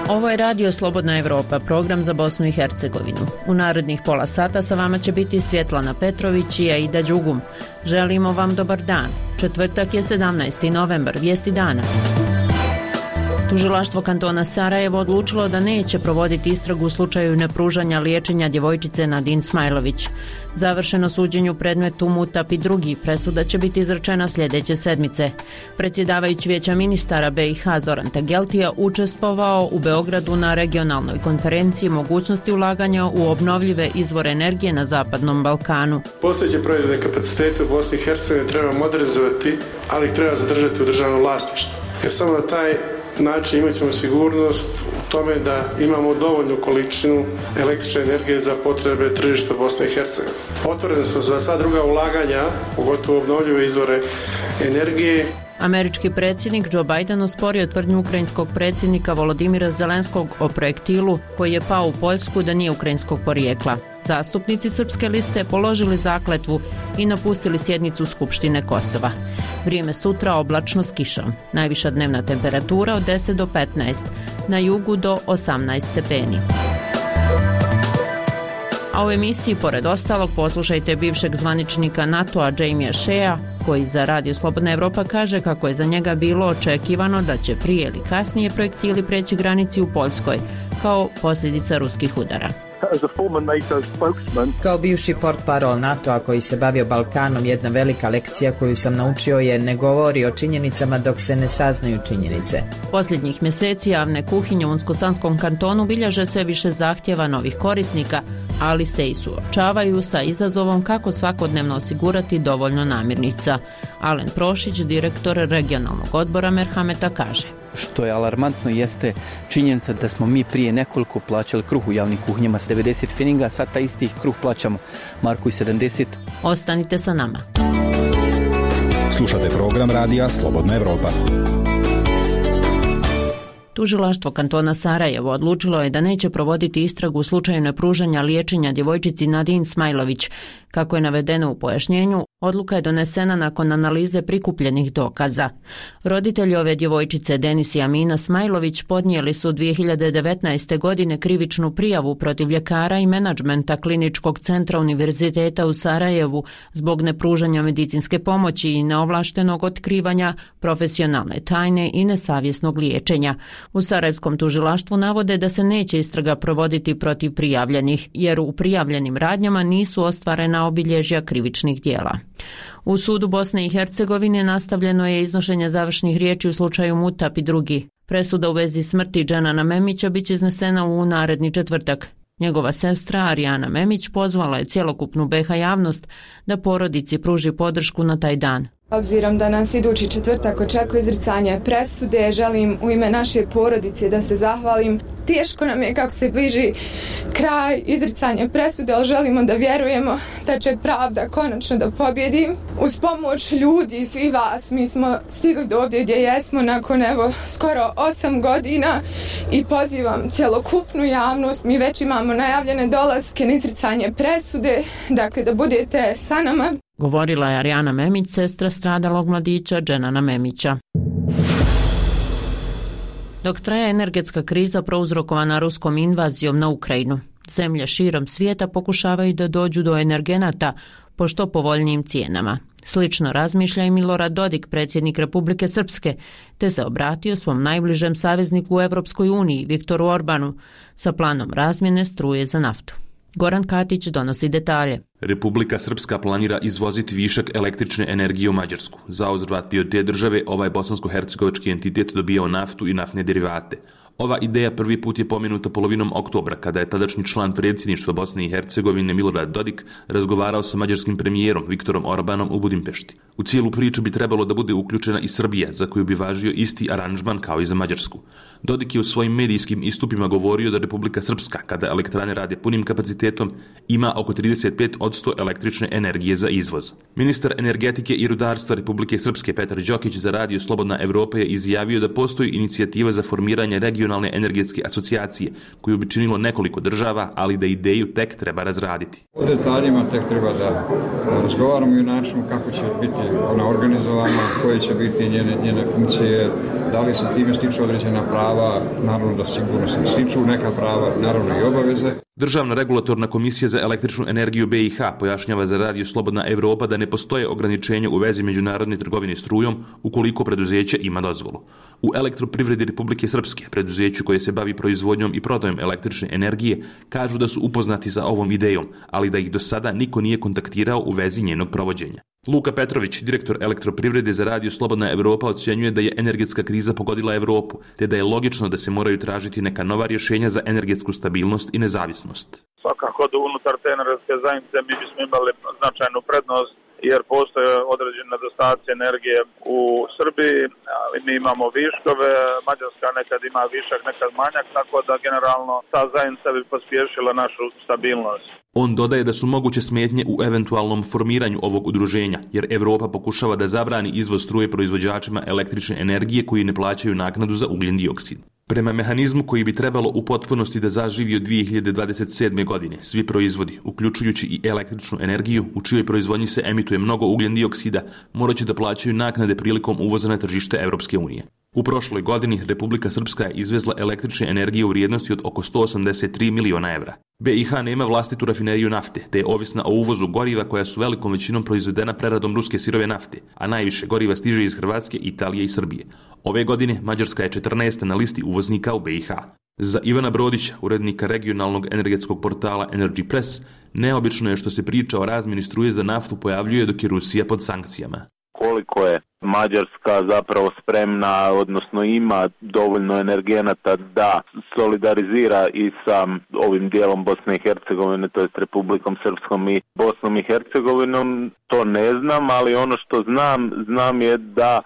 Ovo je Radio Slobodna Evropa, program za Bosnu i Hercegovinu. U narednih pola sata sa vama će biti Svjetlana Petrović i Aida Đugum. Želimo vam dobar dan. Četvrtak je 17. novembar, vijesti dana. Tužilaštvo kantona Sarajevo odlučilo da neće provoditi istragu u slučaju nepružanja liječenja djevojčice Nadine Smajlović. Završeno suđenje u predmetu Mutap i drugi, presuda će biti izrečena sljedeće sedmice. Predsjedavajući Vijeća ministara BiH Zoran Tageltija učestvovao u Beogradu na regionalnoj konferenciji mogućnosti ulaganja u obnovljive izvore energije na Zapadnom Balkanu. Postojeće proizvodne kapacitete u Bosni i Hercegovini treba modernizovati, ali ih treba zadržati u državnom vlasništvu. Jer samo na taj način imat ćemo sigurnost u tome da imamo dovoljnu količinu električne energije za potrebe tržišta Bosne i Hercegovine. Otvoren sam za sva druga ulaganja, pogotovo obnovljive izvore energije. Američki predsjednik Joe Biden osporio tvrdnju ukrajinskog predsjednika Volodimira Zelenskog o projektilu koji je pao u Poljsku da nije ukrajinskog porijekla. Zastupnici Srpske liste položili zakletvu i napustili sjednicu Skupštine Kosova. Vrijeme sutra oblačno s kišom. Najviša dnevna temperatura od 10 do 15, na jugu do 18 stepeni. A u emisiji, pored ostalog, poslušajte bivšeg zvaničnika NATO-a Jamie Shea, koji za Radio Slobodna Evropa kaže kako je za njega bilo očekivano da će prije ili kasnije projektili preći granici u Poljskoj, kao posljedica ruskih udara. Kao bivši portparol NATO-a koji se bavio Balkanom, jedna velika lekcija koju sam naučio je ne govori o činjenicama dok se ne saznaju činjenice. Posljednjih mjeseci javne kuhinje u Unsko-Sanskom kantonu bilježe sve više zahtjeva novih korisnika, ali se i suočavaju sa izazovom kako svakodnevno osigurati dovoljno namirnica. Alen Prošić, direktor regionalnog odbora Merhameta, kaže: Što je alarmantno jeste činjenica da smo mi prije nekoliko plaćali kruh u javnim kuhinjama s 90 feninga, a sad taj isti kruh plaćamo marku i 70. Ostanite sa nama. Slušate program Radija Slobodna Evropa. Tužilaštvo kantona Sarajevo odlučilo je da neće provoditi istragu u slučaju nepružanja liječenja djevojčici Nadine Smajlović. Kako je navedeno u pojašnjenju, odluka je donesena nakon analize prikupljenih dokaza. Roditelji ove djevojčice, Denis i Amina Smajlović, podnijeli su 2019. godine krivičnu prijavu protiv ljekara i menadžmenta Kliničkog centra Univerziteta u Sarajevu zbog nepružanja medicinske pomoći i neovlaštenog otkrivanja profesionalne tajne i nesavjesnog liječenja. U sarajevskom tužilaštvu navode da se neće istraga provoditi protiv prijavljenih, jer u prijavljenim radnjama nisu ostvarena obilježja krivičnih djela. U sudu Bosne i Hercegovine nastavljeno je iznošenje završnih riječi u slučaju Mutap i drugi. Presuda u vezi smrti Dženana Memića biće iznesena u naredni četvrtak. Njegova sestra Arijana Memić pozvala je cjelokupnu BiH javnost da porodici pruži podršku na taj dan. Obzirom da nas idući četvrtak očekuje izricanje presude, želim u ime naše porodice da se zahvalim. Teško nam je kako se bliži kraj izricanja presude, ali želimo da vjerujemo da će pravda konačno da pobjedi. Uz pomoć ljudi i svih vas mi smo stigli do ovdje gdje jesmo nakon skoro 8 godina i pozivam cjelokupnu javnost. Mi već imamo najavljene dolaske na izricanje presude, dakle da budete sa nama. Govorila je Arijana Memić, sestra stradalog mladića Dženana Memića. Dok traje energetska kriza prouzrokovana ruskom invazijom na Ukrajinu, zemlje širom svijeta pokušavaju da dođu do energenata po što povoljnijim cijenama. Slično razmišlja i Milorad Dodik, predsjednik Republike Srpske, te se obratio svom najbližem savezniku u Europskoj uniji, Viktoru Orbanu, sa planom razmjene struje za naftu. Goran Katić donosi detalje. Republika Srpska planira izvoziti višak električne energije u Mađarsku. Za uzvrat bi od te države ovaj bosansko-hercegovački entitet dobijao naftu i naftne derivate. Ova ideja prvi put je pomenuta polovinom oktobra, kada je tadašnji član predsjedništva Bosne i Hercegovine Milorad Dodik razgovarao sa mađarskim premijerom Viktorom Orbanom u Budimpešti. U cijelu priču bi trebalo da bude uključena i Srbija, za koju bi važio isti aranžman kao i za Mađarsku. Dodik je u svojim medijskim istupima govorio da Republika Srpska, kada elektrane rade punim kapacitetom, ima oko 35% električne energije za izvoz. Ministar energetike i rudarstva Republike Srpske Petar Đokić za Radio Slobodna Evropa je izjavio da postoji inicijativa za formiranje regionalne energetske asocijacije, koju bi činilo nekoliko država, ali da ideju tek treba razraditi. O detaljima tek treba da razgovaramo i o načinu kako će biti ona organizovana, koje će biti njene funkcije, da li se time stiču određena prava, naravno da sigurno se stiču neka prava, naravno i obaveze. Državna regulatorna komisija za električnu energiju BiH pojašnjava za Radio Slobodna Evropa da ne postoje ograničenja u vezi međunarodne trgovine strujom ukoliko preduzeće ima dozvolu. U Elektroprivredi Republike Srpske, preduzeću koje se bavi proizvodnjom i prodajom električne energije, kažu da su upoznati sa ovom idejom, ali da ih do sada niko nije kontaktirao u vezi njenog provođenja. Luka Petrović, direktor Elektroprivrede za Radio Slobodna Evropa, ocjenjuje da je energetska kriza pogodila Evropu, te da je logično da se moraju tražiti neka nova rješenja za energetsku stabilnost i nezavisnost. Svakako da unutar te energetske zajednice mi bismo imali značajnu prednost, jer postoje određene nedostaci energije u Srbiji, ali mi imamo viškove, Mađarska nekad ima višak, nekad manjak, tako da generalno ta zajednica bi pospješila našu stabilnost. On dodaje da su moguće smetnje u eventualnom formiranju ovog udruženja, jer Evropa pokušava da zabrani izvoz struje proizvođačima električne energije koji ne plaćaju naknadu za ugljen dioksid. Prema mehanizmu koji bi trebalo u potpunosti da zaživi od 2027. godine, svi proizvodi, uključujući i električnu energiju, u čijoj proizvodnji se emituje mnogo ugljen dioksida, morat će da plaćaju naknade prilikom uvoza na tržište Evropske unije. U prošloj godini Republika Srpska je izvezla električne energije u vrijednosti od oko 183 miliona evra. BiH nema vlastitu rafineriju nafte, te je ovisna o uvozu goriva koja su velikom većinom proizvedena preradom ruske sirove nafte, a najviše goriva stiže iz Hrvatske, Italije i Srbije. Ove godine Mađarska je 14. na listi uvoznika u BiH. Za Ivana Brodića, urednika regionalnog energetskog portala Energy Press, neobično je što se priča o razmjeni struje za naftu pojavljuje dok je Rusija pod sankcijama. Koliko je Mađarska zapravo spremna, odnosno ima dovoljno energenata da solidarizira i sa ovim dijelom Bosne i Hercegovine, to jest Republikom Srpskom i Bosnom i Hercegovinom, to ne znam, ali ono što znam je da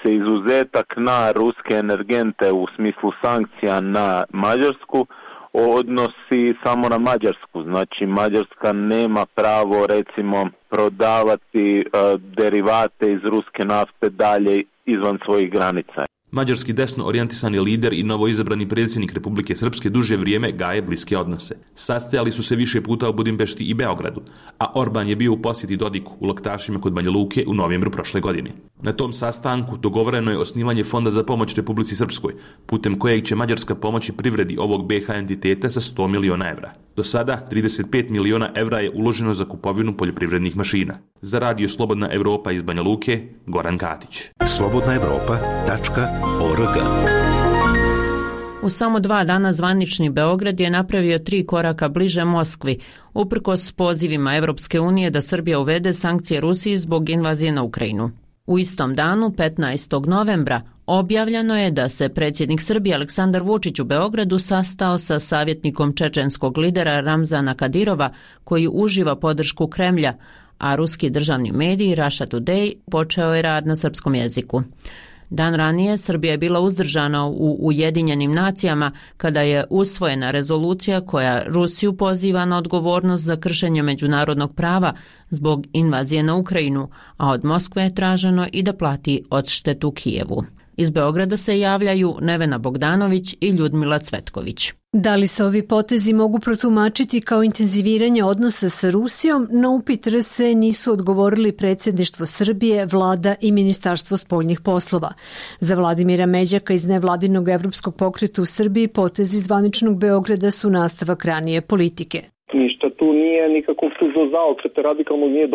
se izuzetak na ruske energente u smislu sankcija na Mađarsku odnosi samo na Mađarsku. Znači Mađarska nema pravo recimo prodavati derivate iz ruske nafte dalje izvan svojih granica. Mađarski desno orijentisani lider i novoizabrani predsjednik Republike Srpske duže vrijeme gaje bliske odnose. Sastajali su se više puta u Budimpešti i Beogradu, a Orban je bio u posjeti Dodiku u Laktašima kod Banja Luke u novembru prošle godine. Na tom sastanku dogovoreno je osnivanje Fonda za pomoć Republici Srpskoj, putem kojeg će Mađarska pomoći privredi ovog BiH entiteta sa 100 miliona evra. Do sada 35 miliona evra je uloženo za kupovinu poljoprivrednih mašina. Za Radio Slobodna Evropa iz Banja Luke, Goran Katić. slobodnaevropa.org. U samo 2 dana zvanični Beograd je napravio 3 koraka bliže Moskvi, uprkos pozivima Evropske unije da Srbija uvede sankcije Rusiji zbog invazije na Ukrajinu. U istom danu, 15. novembra, objavljeno je da se predsjednik Srbije Aleksandar Vučić u Beogradu sastao sa savjetnikom čečenskog lidera Ramzana Kadirova, koji uživa podršku Kremlja, a ruski državni medij Russia Today počeo je rad na srpskom jeziku. Dan ranije Srbija je bila uzdržana u Ujedinjenim nacijama kada je usvojena rezolucija koja Rusiju poziva na odgovornost za kršenje međunarodnog prava zbog invazije na Ukrajinu, a od Moskve je traženo i da plati odštetu Kijevu. Iz Beograda se javljaju Nevena Bogdanović i Ljudmila Cvetković. Da li se ovi potezi mogu protumačiti kao intenziviranje odnosa sa Rusijom? Na upit RS nisu odgovorili predsjedništvo Srbije, vlada i Ministarstvo spoljnih poslova. Za Vladimira Međaka iz nevladinog evropskog pokreta u Srbiji potezi zvaničnog Beograda su nastavak ranije politike. Ništa tu nije nikakvog tužnog zaokreta radikalnog nije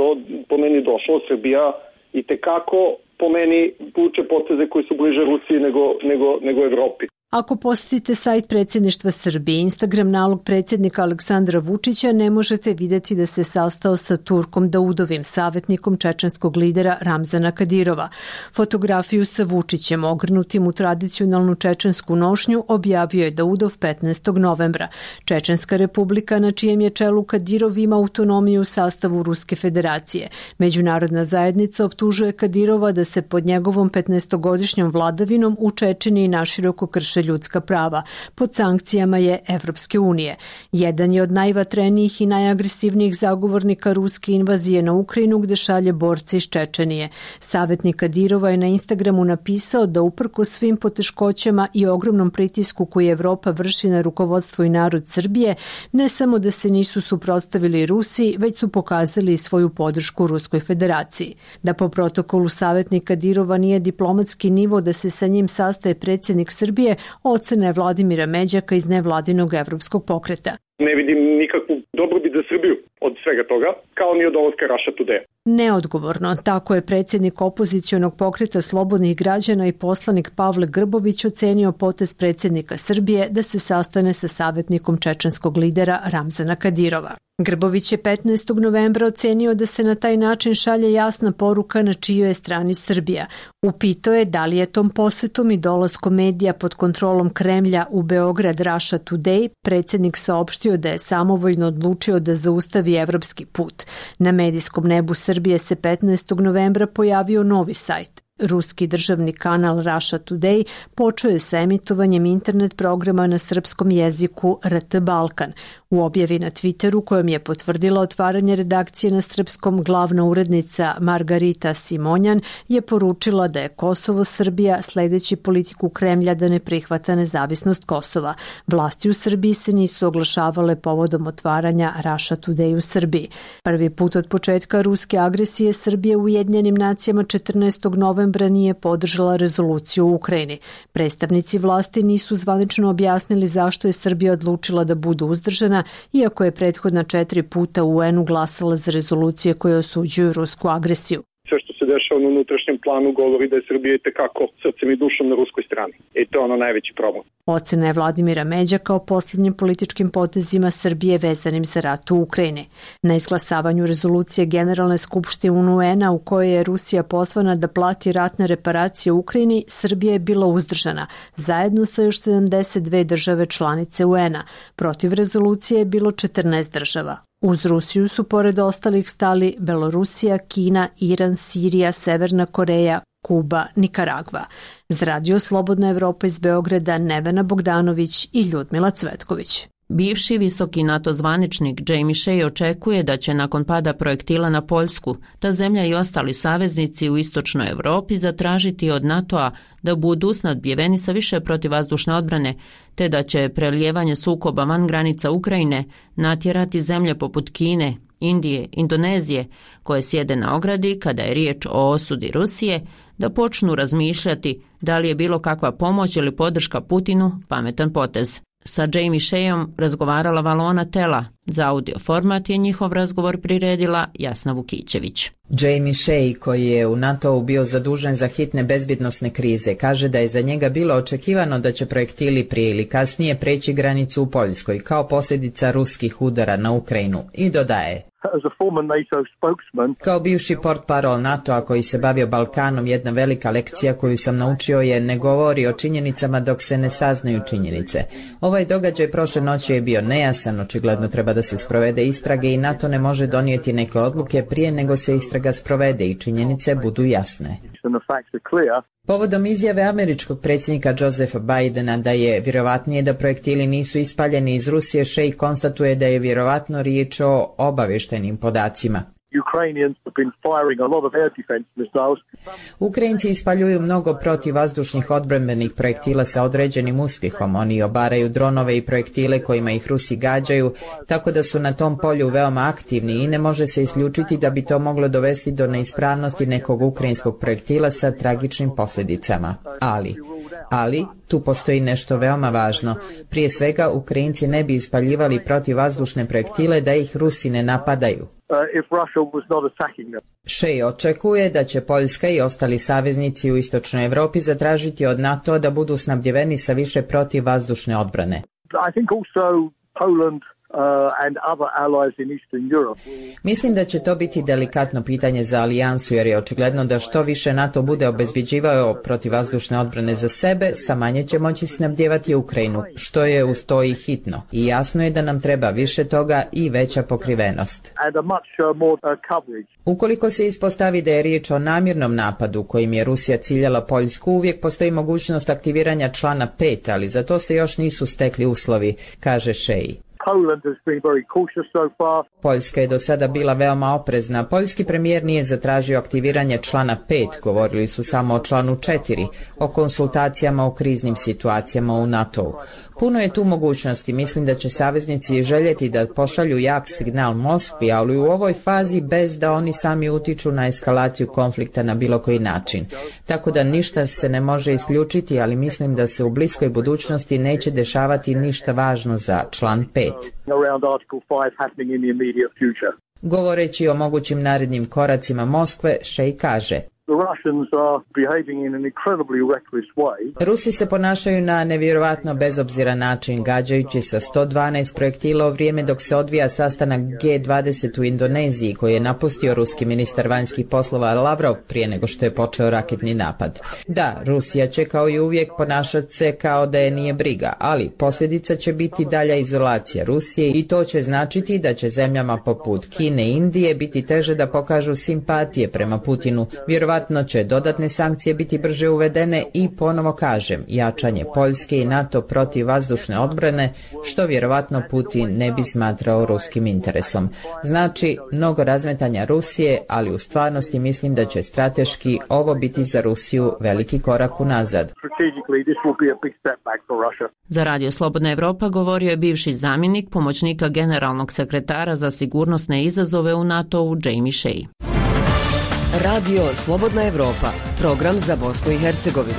po meni došlo. Srbija i tekako po meni vuče poteze koji su bliže Rusiji nego Evropi. Ako posjetite sajt predsjedništva Srbije, Instagram nalog predsjednika Aleksandra Vučića, ne možete vidjeti da se sastao sa Turkom Daudovim, savjetnikom čečenskog lidera Ramzana Kadirova. Fotografiju sa Vučićem, ogrnutim u tradicionalnu čečensku nošnju, objavio je Daudov 15. novembra. Čečenska republika, na čijem je čelu Kadirov, ima autonomiju u sastavu Ruske federacije. Međunarodna zajednica optužuje Kadirova da se pod njegovom 15-godišnjom vladavinom u Čečeniji naširoko krše ljudska prava. Pod sankcijama je Evropske unije. Jedan je od najvatrenijih i najagresivnijih zagovornika ruske invazije na Ukrajinu, gde šalje borce iz Čečenije. Savjetnik Kadirova je na Instagramu napisao da uprkos svim poteškoćama i ogromnom pritisku koji Evropa vrši na rukovodstvo i narod Srbije, ne samo da se nisu suprotstavili Rusiji, već su pokazali svoju podršku Ruskoj federaciji. Da po protokolu savjetnik Kadirova nije diplomatski nivo da se sa njim sastaje predsjednik Srbije, ocena je Vladimira Međaka iz nevladinog evropskog pokreta. Ne vidim nikakvu dobrobit za Srbiju od svega toga, kao ni od dolaska Russia Today. Neodgovorno, tako je predsjednik opozicionog pokreta Slobodnih građana i poslanik Pavle Grbović ocenio potez predsjednika Srbije da se sastane sa savjetnikom čečenskog lidera Ramzana Kadirova. Grbović je 15. novembra ocenio da se na taj način šalje jasna poruka na čijoj je strani Srbija. Upitao je da li je tom posetom i dolaskom medija pod kontrolom Kremlja u Beograd Russia Today predsjednik saopštio da je samovoljno odlučio da zaustavi evropski put. Na medijskom nebu Srbije se 15. novembra pojavio novi sajt. Ruski državni kanal Russia Today počeo je sa emitovanjem internet programa na srpskom jeziku RT Balkan. U objavi na Twitteru kojom je potvrdila otvaranje redakcije na srpskom, glavna urednica Margarita Simonjan je poručila da je Kosovo Srbija sledeći politiku Kremlja da ne prihvata nezavisnost Kosova. Vlasti u Srbiji se nisu oglašavale povodom otvaranja Russia Today u Srbiji. Prvi put od početka ruske agresije Srbije u Ujedinjenim nacijama 14. novembra nije podržala rezoluciju u Ukrajini. Predstavnici vlasti nisu zvanično objasnili zašto je Srbija odlučila da bude uzdržana, iako je prethodna 4 puta u UN-u glasala za rezolucije koje osuđuju rusku agresiju. Sve što se dešava na unutrašnjem planu govori da je Srbija itekako srcem i dušom na ruskoj strani. I to je ono najveći problem. Ocena je Vladimira Međaka o posljednjim političkim potezima Srbije vezanim za rat u Ukrajini. Na izglasavanju rezolucije Generalne skupštine UN-a u kojoj je Rusija pozvana da plati ratne reparacije u Ukrajini, Srbija je bila uzdržana, zajedno sa još 72 države članice UN-a. Protiv rezolucije je bilo 14 država. Uz Rusiju su pored ostalih stali Belorusija, Kina, Iran, Sirija, Severna Koreja, Kuba, Nikaragva. Za Radio Slobodna Evropa iz Beograda Nevena Bogdanović i Ljudmila Cvetković. Bivši visoki NATO zvaničnik Jamie Shea očekuje da će nakon pada projektila na Poljsku ta zemlja i ostali saveznici u istočnoj Evropi zatražiti od NATO-a da budu snadbijeveni sa više protivvazdušne odbrane, te da će prelijevanje sukoba van granica Ukrajine natjerati zemlje poput Kine, Indije, Indonezije, koje sjede na ogradi kada je riječ o osudi Rusije, da počnu razmišljati da li je bilo kakva pomoć ili podrška Putinu pametan potez. Sa Jamie Sheaom razgovarala Valona Tela. Za audio format je njihov razgovor priredila Jasna Vukićević. Jamie Shea, koji je u NATO-u bio zadužen za hitne bezbjednosne krize, kaže da je za njega bilo očekivano da će projektili prije ili kasnije preći granicu u Poljskoj kao posljedica ruskih udara na Ukrajinu i dodaje: kao bivši portparol NATO-a koji se bavio Balkanom, jedna velika lekcija koju sam naučio je ne govori o činjenicama dok se ne saznaju činjenice. Ovaj događaj prošle noći je bio nejasan, očigledno treba da se sprovede istrage i NATO ne može donijeti neke odluke prije nego se istraga sprovede i činjenice budu jasne. Povodom izjave američkog predsjednika Josepha Bidena da je vjerovatnije da projektili nisu ispaljeni iz Rusije, Shea konstatuje da je vjerovatno riječ o obavještajnim podacima. Ukrajinci ispaljuju mnogo protivvazdušnih odbrambenih projektila sa određenim uspjehom. Oni obaraju dronove i projektile kojima ih Rusi gađaju, tako da su na tom polju veoma aktivni i ne može se isključiti da bi to moglo dovesti do neispravnosti nekog ukrajinskog projektila sa tragičnim posljedicama. Ali, tu postoji nešto veoma važno. Prije svega, Ukrajinci ne bi ispaljivali protivvazdušne projektile da ih Rusi ne napadaju. Shea očekuje da će Poljska i ostali saveznici u istočnoj Evropi zatražiti od NATO da budu snabdjeveni sa više protivvazdušne odbrane. Mislim da će to biti delikatno pitanje za alijansu, jer je očigledno da što više NATO bude obezbjeđivao protivvazdušne odbrane za sebe, sa manje će moći snabdjevati Ukrajinu, što je uz to i hitno. I jasno je da nam treba više toga i veća pokrivenost. Ukoliko se ispostavi da je riječ o namjernom napadu kojim je Rusija ciljala Poljsku, uvijek postoji mogućnost aktiviranja člana 5, ali za to se još nisu stekli uslovi, kaže Shea. Poljska je do sada bila veoma oprezna. Poljski premijer nije zatražio aktiviranje člana 5, govorili su samo o članu 4, o konsultacijama u kriznim situacijama u NATO-u. Puno je tu mogućnosti, mislim da će saveznici željeti da pošalju jak signal Moskvi, ali u ovoj fazi bez da oni sami utiču na eskalaciju konflikta na bilo koji način. Tako da ništa se ne može isključiti, ali mislim da se u bliskoj budućnosti neće dešavati ništa važno za član 5. Govoreći o mogućim narednim koracima Moskve, Shea kaže: Rusi se ponašaju na nevjerovatno bezobziran način, gađajući sa 112 projektila u vrijeme dok se odvija sastanak G20 u Indoneziji, koji je napustio ruski ministar vanjskih poslova Lavrov prije nego što je počeo raketni napad. Da, Rusija će kao i uvijek ponašati se kao da je nije briga, ali posljedica će biti dalja izolacija Rusije i to će značiti da će zemljama poput Kine i Indije biti teže da pokažu simpatije prema Putinu. Vjerovatno će dodatne sankcije biti brže uvedene i, ponovo kažem, jačanje Poljske i NATO protiv vazdušne odbrane, što vjerovatno Putin ne bi smatrao ruskim interesom. Znači, mnogo razmetanja Rusije, ali u stvarnosti mislim da će strateški ovo biti za Rusiju veliki korak unazad. Za Radio Slobodna Evropa govorio je bivši zamjenik pomoćnika generalnog sekretara za sigurnosne izazove u NATO-u Jamie Shea. Radio Slobodna Evropa, program za Bosnu i Hercegovinu.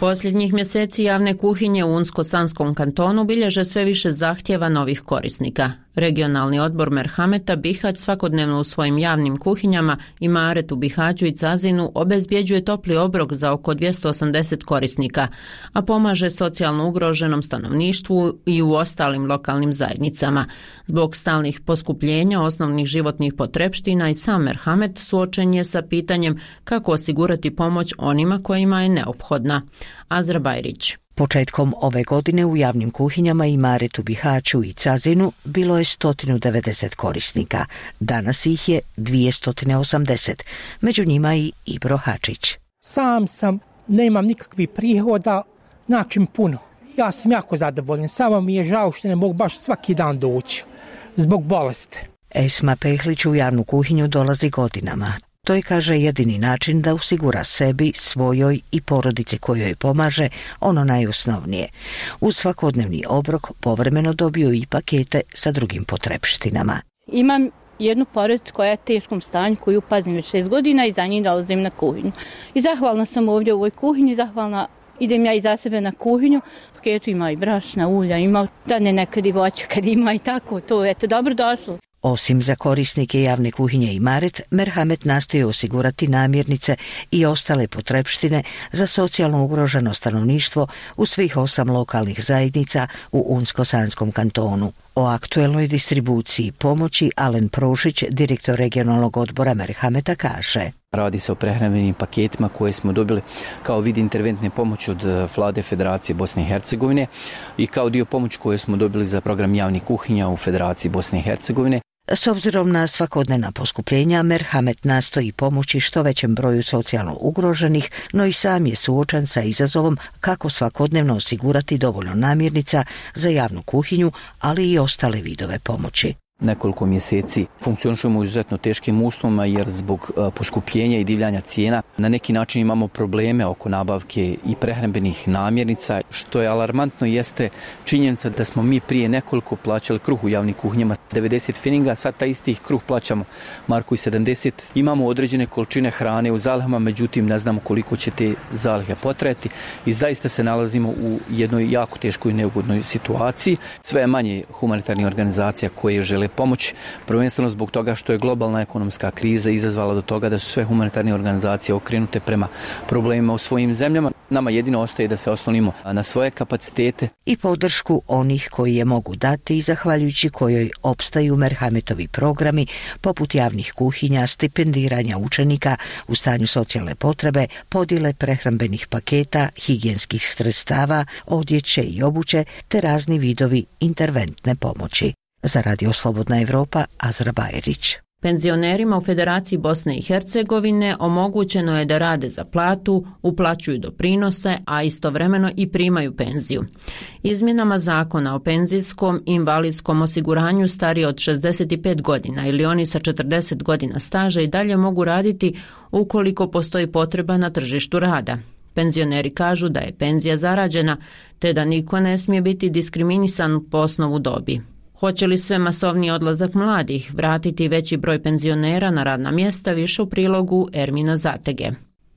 Posljednjih mjeseci javne kuhinje u Unsko-Sanskom kantonu bilježe sve više zahtjeva novih korisnika. Regionalni odbor Merhameta Bihać svakodnevno u svojim javnim kuhinjama i Maret u Bihaću i Cazinu obezbjeđuje topli obrok za oko 280 korisnika, a pomaže socijalno ugroženom stanovništvu i u ostalim lokalnim zajednicama. Zbog stalnih poskupljenja osnovnih životnih potrepština i sam Merhamet suočen je sa pitanjem kako osigurati pomoć onima kojima je neophodna. Azra Bajrić. Početkom ove godine u javnim kuhinjama i Maretu, Bihaću i Cazinu bilo je 190 korisnika. Danas ih je 280, među njima i Ibro Hačić. Sam nemam nikakvih prihoda, znači puno. Ja sam jako zadovoljan, samo mi je žao što ne mogu baš svaki dan doći, zbog bolesti. Esma Pehlić u javnu kuhinju dolazi godinama. To je, kaže, jedini način da osigura sebi, svojoj i porodici kojoj pomaže ono najosnovnije. Uz svakodnevni obrok povremeno dobiju i pakete sa drugim potrepštinama. Imam jednu porodicu koja je u teškom stanju, koju pazim već 6 godina i za njih dolazim na kuhinju. I zahvalna sam ovdje u ovoj kuhinji, zahvalna idem ja i za sebe na kuhinju. U paketu ima i brašna, ulja, ima da ne nekad i voće kad ima i tako, to je dobro došlo. Osim za korisnike javne kuhinje i Maret, Merhamet nastoji osigurati namirnice i ostale potrepštine za socijalno ugroženo stanovništvo u svih 8 lokalnih zajednica u Unsko-Sanskom kantonu. O aktuelnoj distribuciji pomoći Alen Prošić, direktor regionalnog odbora Merhameta, kaže: Radi se o prehrambenim paketima koje smo dobili kao vid interventne pomoći od Vlade Federacije Bosne i Hercegovine i kao dio pomoći koje smo dobili za program javnih kuhinja u Federaciji Bosne i Hercegovine. S obzirom na svakodnevna poskupljenja, Merhamet nastoji pomoći što većem broju socijalno ugroženih, no i sam je suočan sa izazovom kako svakodnevno osigurati dovoljno namirnica za javnu kuhinju, ali i ostale vidove pomoći. Nekoliko mjeseci funkcionišemo u izuzetno teškim uslovima jer zbog poskupljenja i divljanja cijena na neki način imamo probleme oko nabavke i prehrambenih namirnica. Što je alarmantno jeste činjenica da smo mi prije nekoliko plaćali kruh u javnim kuhinjama 90 feninga, sad taj istih kruh plaćamo marku i 70. Imamo određene količine hrane u zalihama, međutim ne znamo koliko će te zalihe potrajati i zaista se nalazimo u jednoj jako teškoj i neugodnoj situaciji. Sve je manje humanitarnih organizacija koje žele pomoć, prvenstveno zbog toga što je globalna ekonomska kriza izazvala do toga da su sve humanitarne organizacije okrenute prema problemima u svojim zemljama. Nama jedino ostaje da se oslonimo na svoje kapacitete. I podršku onih koji je mogu dati i zahvaljujući kojoj opstaju Merhametovi programi poput javnih kuhinja, stipendiranja učenika u stanju socijalne potrebe, podjele prehrambenih paketa, higijenskih sredstava, odjeće i obuće te razni vidovi interventne pomoći. Za Radio Slobodna Evropa, Azra Bajrić. Penzionerima u Federaciji Bosne i Hercegovine omogućeno je da rade za platu, uplaćuju doprinose, a istovremeno i primaju penziju. Izmjenama zakona o penzijskom i invalidskom osiguranju stariji od 65 godina ili oni sa 40 godina staža i dalje mogu raditi ukoliko postoji potreba na tržištu rada. Penzioneri kažu da je penzija zarađena, te da niko ne smije biti diskriminisan po osnovu dobi. Hoće li sve masovni odlazak mladih vratiti veći broj penzionera na radna mjesta, više u prilogu Ermina Zatege.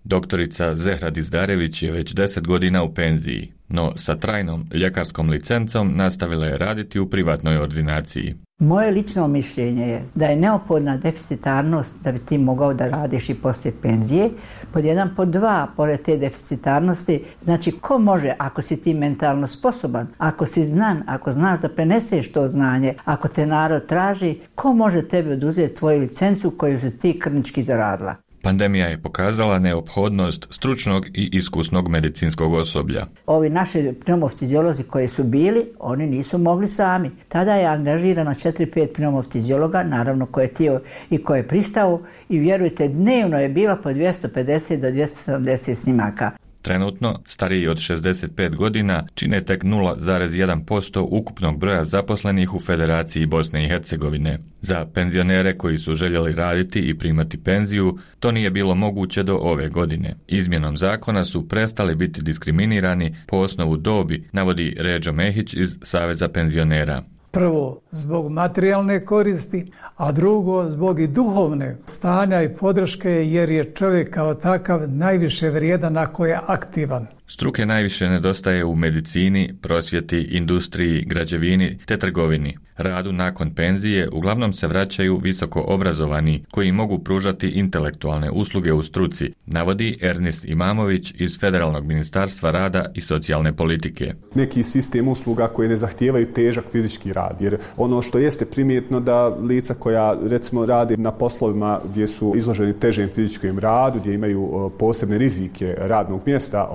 Doktorica Zehra Dizdarević je već 10 godina u penziji, no sa trajnom ljekarskom licencom nastavila je raditi u privatnoj ordinaciji. Moje lično mišljenje je da je neophodna deficitarnost da bi ti mogao da radiš i poslije penzije. Pod jedan, pod dva, pored te deficitarnosti, znači ko može, ako si ti mentalno sposoban, ako si znan, ako znaš da preneseš to znanje, ako te narod traži, ko može tebi oduzeti tvoju licencu koju si ti krvnički zaradila? Pandemija je pokazala neophodnost stručnog i iskusnog medicinskog osoblja. Ovi naši pneumofiziolozi koji su bili, oni nisu mogli sami. Tada je angažirano 4-5 pneumofiziologa, naravno ko je htio i ko je pristao, i vjerujte, dnevno je bilo po 250 do 270 snimaka. Trenutno, stariji od 65 godina čine tek 0,1% ukupnog broja zaposlenih u Federaciji Bosne i Hercegovine. Za penzionere koji su željeli raditi i primati penziju, to nije bilo moguće do ove godine. Izmjenom zakona su prestali biti diskriminirani po osnovu dobi, navodi Ređo Mehić iz Saveza penzionera. Prvo, zbog materijalne koristi, a drugo, zbog i duhovne stanja i podrške, jer je čovjek kao takav najviše vrijedan ako je aktivan. Struke najviše nedostaje u medicini, prosvjeti, industriji, građevini te trgovini. Radu nakon penzije uglavnom se vraćaju visoko obrazovani koji mogu pružati intelektualne usluge u struci, navodi Ernest Imamović iz Federalnog ministarstva rada i socijalne politike. Neki sistem usluga koji ne zahtijevaju težak fizički rad, jer ono što jeste primjetno da lica koja recimo rade na poslovima gdje su izloženi težem fizičkom radu, gdje imaju posebne rizike radnog mjesta,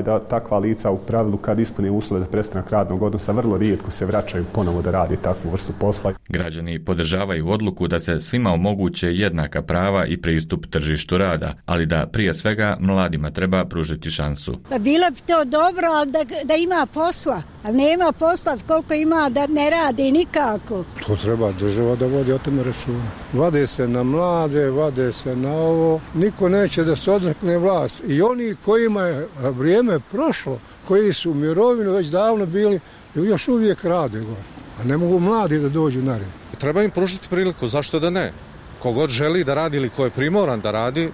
da takva lica u pravilu kad ispune uslove za prestanak radnog odnosa vrlo rijetko se vraćaju ponovo da radi takvu vrstu posla. Građani podržavaju odluku da se svima omoguće jednaka prava i pristup tržištu rada, ali da prije svega mladima treba pružiti šansu. Pa bilo bi to dobro, ali da ima posla, ali nema posla koliko ima da ne radi nikako. To treba država da vodi o tome računa. Vade se na mlade, vade se na ovo, niko neće da se odrekne vlast. I oni kojima je vrijeme prošlo, koji su u mirovinu već davno bili, još uvijek rade gore. A ne mogu mladi da dođu na red. Treba im pružiti priliku, zašto da ne? Kogod želi da radi ili ko je primoran da radi,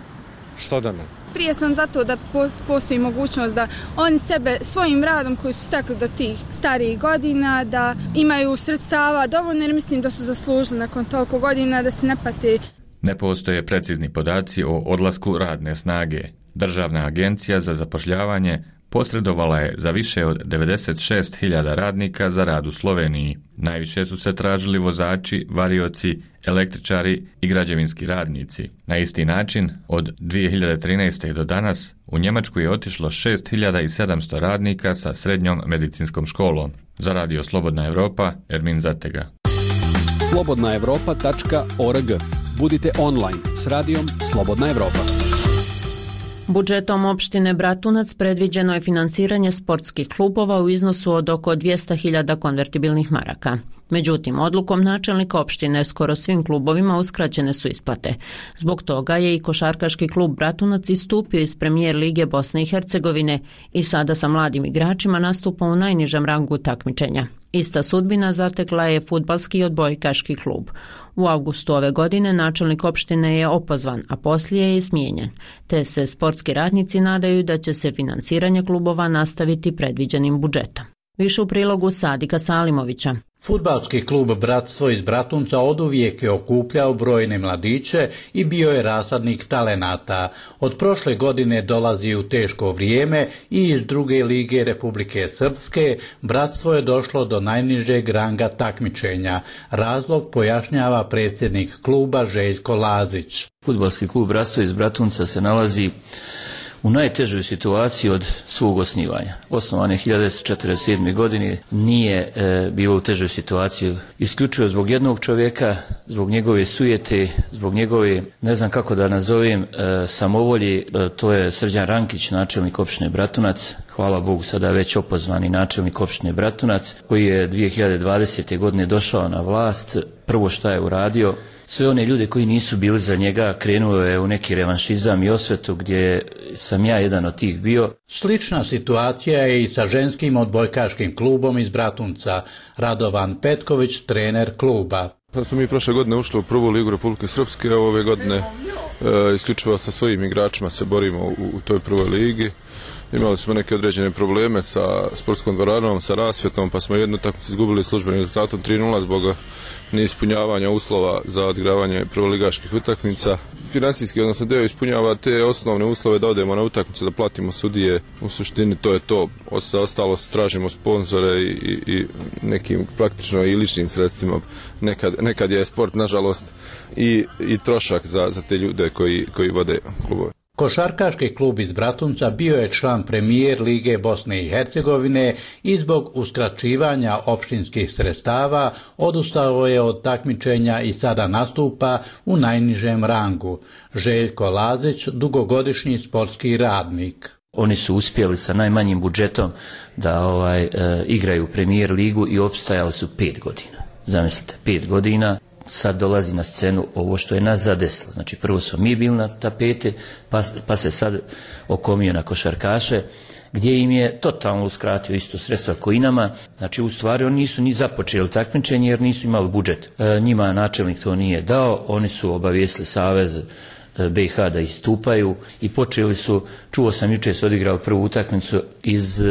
što da ne? Prije sam zato da postoji mogućnost da oni sebe svojim radom koji su stekli do tih starijih godina, da imaju sredstava dovoljno, jer mislim da su zaslužili nakon toliko godina da se ne pati. Ne postoje precizni podaci o odlasku radne snage. Državna agencija za zapošljavanje posredovala je za više od 96.000 radnika za rad u Sloveniji. Najviše su se tražili vozači, varioci, električari i građevinski radnici. Na isti način, od 2013. do danas, u Njemačku je otišlo 6.700 radnika sa srednjom medicinskom školom. Za Radio Slobodna Evropa, Ermin Zatega. slobodnaevropa.org. Budite online s radijom Slobodna Evropa. Budžetom opštine Bratunac predviđeno je financiranje sportskih klubova u iznosu od oko 200.000 konvertibilnih maraka. Međutim, odlukom načelnika opštine skoro svim klubovima uskraćene su isplate. Zbog toga je i košarkaški klub Bratunac istupio iz Premijer lige Bosne i Hercegovine i sada sa mladim igračima nastupa u najnižem rangu takmičenja. Ista sudbina zatekla je fudbalski i odbojkaški klub. U avgustu ove godine načelnik opštine je opozvan, a poslije je smijenjen, te se sportski radnici nadaju da će se finansiranje klubova nastaviti predviđenim budžetom. Više u prilogu Sadika Salimovića. Fudbalski klub Bratstvo iz Bratunca oduvijek je okupljao brojne mladiće i bio je rasadnik talenata. Od prošle godine dolazi u teško vrijeme i iz druge lige Republike Srpske Bratstvo je došlo do najnižeg ranga takmičenja. Razlog pojašnjava predsjednik kluba Željko Lazić. Fudbalski klub Bratstvo iz Bratunca se nalazi u najtežoj situaciji od svog osnivanja. Osnovan je 1947. godine, nije bilo u težoj situaciji isključivo zbog jednog čovjeka, zbog njegove sujete, zbog njegove, ne znam kako da nazovem, samovolji. To je Srđan Rankić, načelnik opštine Bratunac, hvala Bogu sada već opozvani načelnik opštine Bratunac, koji je 2020. godine došao na vlast. Prvo šta je uradio, sve one ljude koji nisu bili za njega krenuo je u neki revanšizam i osvetu gdje sam ja jedan od tih bio. Slična situacija je i sa ženskim odbojkaškim klubom iz Bratunca. Radovan Petković, trener kluba. Pa smo mi prošle godine ušli u prvu ligu Republike Srpske, a ove godine isključivo sa svojim igračima se borimo u toj prvoj ligi. Imali smo neke određene probleme sa sportskom dvoranom, sa rasvjetom, pa smo jednu utakmicu izgubili službenim rezultatom 3:0 zbog neispunjavanja uslova za odigravanje prvoligaških utakmica. Finansijski, odnosno deo ispunjava te osnovne uslove da odemo na utakmicu, da platimo sudije. U suštini to je to. Ostalo tražimo sponzore i nekim praktično i ličnim sredstvima. Nekad je sport, nažalost, i trošak za te ljude koji vode klubove. Košarkaški klub iz Bratunca bio je član premijer Lige Bosne i Hercegovine i zbog uskraćivanja opštinskih sredstava odustao je od takmičenja i sada nastupa u najnižem rangu. Željko Lazić, dugogodišnji sportski radnik. Oni su uspjeli sa najmanjim budžetom da igraju premijer ligu i opstajali su 5 godina. Zamislite, 5 godina. Sad dolazi na scenu ovo što je nas zadesilo. Znači prvo smo mi bili na tapete, pa se sad okomio na košarkaše, gdje im je totalno uskratio isto sredstva koji nama. Znači u stvari oni nisu ni započeli takmičenje jer nisu imali budžet. Njima načelnik to nije dao, oni su obavijestili Savez BiH da istupaju i počeli su, čuo sam jučer su odigrali prvu utakmicu iz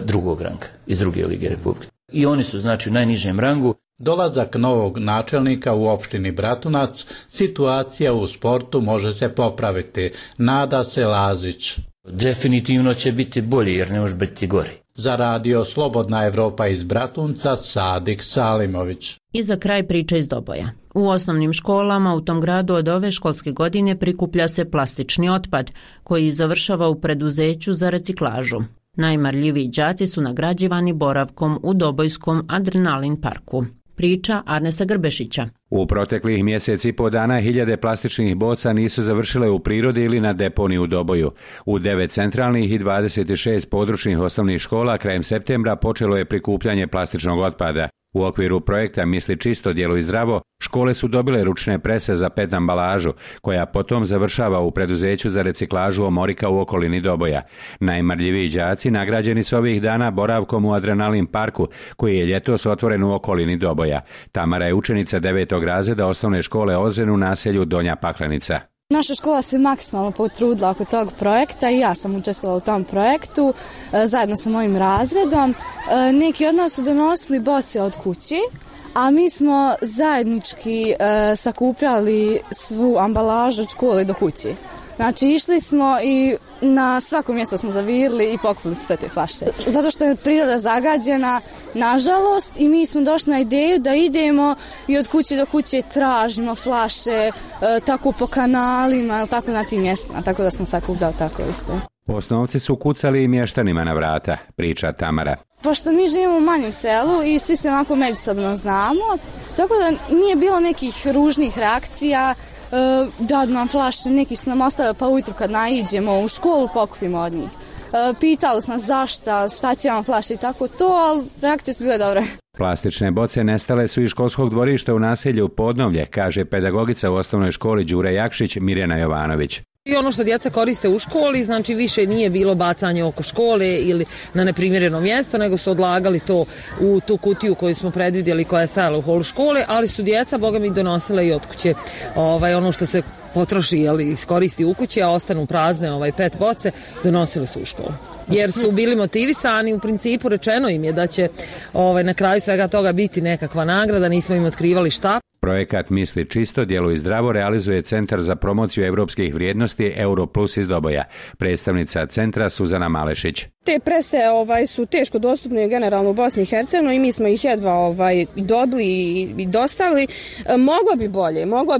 drugog ranga, iz druge lige Republike. I oni su znači u najnižem rangu. Dolazak novog načelnika u opštini Bratunac, situacija u sportu može se popraviti, nada se Lazić. Definitivno će biti bolje jer ne može biti gori. Za radio Slobodna Evropa iz Bratunca, Sadik Salimović. I za kraj priča iz Doboja. U osnovnim školama u tom gradu od ove školske godine prikuplja se plastični otpad koji završava u preduzeću za reciklažu. Najmarljiviji đaci su nagrađivani boravkom u Dobojskom Adrenalin parku. Priča Arnesa Grbešića. U proteklih mjesec i po dana hiljade plastičnih boca nisu završile u prirodi ili na deponiji u Doboju. U 9 centralnih i 26 područnih osnovnih škola krajem septembra počelo je prikupljanje plastičnog otpada. U okviru projekta Misli čisto, djeluj zdravo, škole su dobile ručne prese za PET ambalažu, koja potom završava u preduzeću za reciklažu Omorika u okolini Doboja. Najmarljiviji đaci nagrađeni su ovih dana boravkom u Adrenalin parku, koji je ljetos otvoren u okolini Doboja. Tamara je učenica 9. razreda osnovne škole Ozren u naselju Donja Paklenica. Naša škola se maksimalno potrudila oko tog projekta i ja sam učestvovala u tom projektu zajedno sa mojim razredom. Neki od nas su donosili boce od kući, a mi smo zajednički sakupljali svu ambalažu od škole do kući. Znači išli smo i na svako mjesto smo zavirili i pokupili sve te flaše. Zato što je priroda zagađena, nažalost, i mi smo došli na ideju da idemo i od kuće do kuće tražimo flaše, tako po kanalima, tako na tim mjestima, tako da smo sakupljali tako isto. Osnovci su kucali i mještanima na vrata, priča Tamara. Pošto mi živimo u manjem selu i svi se onako međusobno znamo, tako da nije bilo nekih ružnih reakcija, dadu nam flaše, neki su nam ostavili pa ujutru kad naiđemo u školu pokupimo od njih. Pitali su nas šta će vam flaše i tako to, ali reakcije su bile dobre. Plastične boce nestale su iz školskog dvorišta u naselju Podnovlje, kaže pedagogica u osnovnoj školi Đure Jakšić Mirjana Jovanović. I ono što djeca koriste u školi, znači više nije bilo bacanje oko škole ili na neprimjereno mjesto, nego su odlagali to u tu kutiju koju smo predvidjeli koja je stajala u holu škole, ali su djeca, boga mi, donosile i od kuće ono što se potroši, iskoristi u kući, a ostanu prazne PET boce, donosili su u školu. Jer su bili motivisani, u principu rečeno im je da će na kraju svega toga biti nekakva nagrada, nismo im otkrivali šta. Projekat Misli čisto, djeluj zdravo realizuje Centar za promociju europskih vrijednosti Europlus iz Doboja. Predstavnica centra Suzana Malešić. Te prese su teško dostupne generalno u Bosni i Hercegovini i mi smo ih jedva dobili i dostavili. Moglo bi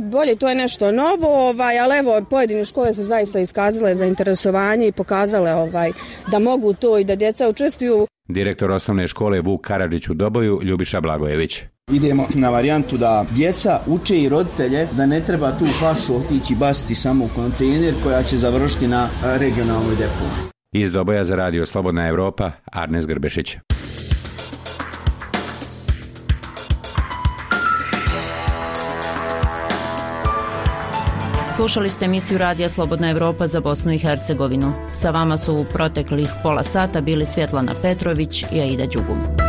bolje, to je nešto novo, ali evo pojedine škole su zaista iskazale zainteresovanje i pokazale da mogu to i da djeca učestvuju. Direktor osnovne škole Vuk Karadžić u Doboju, Ljubiša Blagojević. Idemo na varijantu da djeca uče i roditelje da ne treba tu flašu otići baciti samo u kontejner koja će završiti na regionalnoj deponiji. Iz Doboja za Radio Slobodna Evropa, Arnes Grbešić. Slušali ste emisiju Radija Slobodna Evropa za Bosnu i Hercegovinu. Sa vama su u proteklih pola sata bili Svjetlana Petrović i Aida Đugum.